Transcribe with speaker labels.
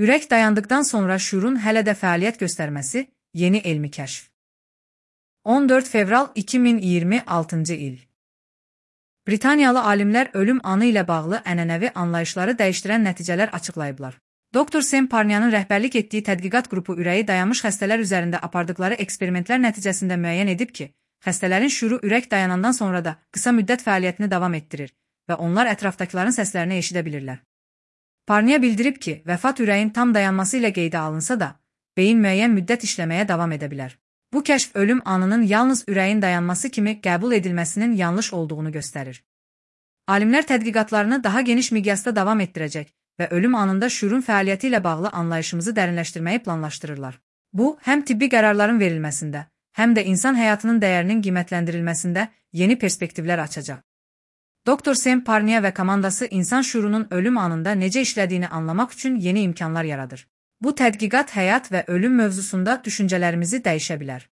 Speaker 1: Ürək dayandıqdan sonra şuurun hələ də fəaliyyət göstərməsi, yeni elmi kəşf. 14 fevral 2026 il. Britaniyalı alimlər ölüm anı ilə bağlı ənənəvi anlayışları dəyişdirən nəticələr açıqlayıblar. Dr. Sam Parnyanın rəhbərlik etdiyi tədqiqat qrupu ürəyi dayanmış xəstələr üzərində apardıqları eksperimentlər nəticəsində müəyyən edib ki, xəstələrin şuuru ürək dayanandan sonra da qısa müddət fəaliyyətini davam etdirir və onlar ətrafdakıların səslərini eşidə bilirlər. Parnya bildirib ki, vəfat ürəyin tam dayanması ilə qeydə alınsa da, beyin müəyyən müddət işləməyə davam edə bilər. Bu kəşf ölüm anının yalnız ürəyin dayanması kimi qəbul edilməsinin yanlış olduğunu göstərir. Alimlər tədqiqatlarını daha geniş miqyasda davam etdirəcək və ölüm anında şuurun fəaliyyəti ilə bağlı anlayışımızı dərinləşdirməyi planlaşdırırlar. Bu, həm tibbi qərarların verilməsində, həm də insan həyatının dəyərinin qiymətləndirilməsində yeni perspektivlər açacaq. Dr. Sam Parnya və komandası insan şuurunun ölüm anında necə işlədiyini anlamaq üçün yeni imkanlar yaradır. Bu tədqiqat həyat və ölüm mövzusunda düşüncələrimizi dəyişə bilər.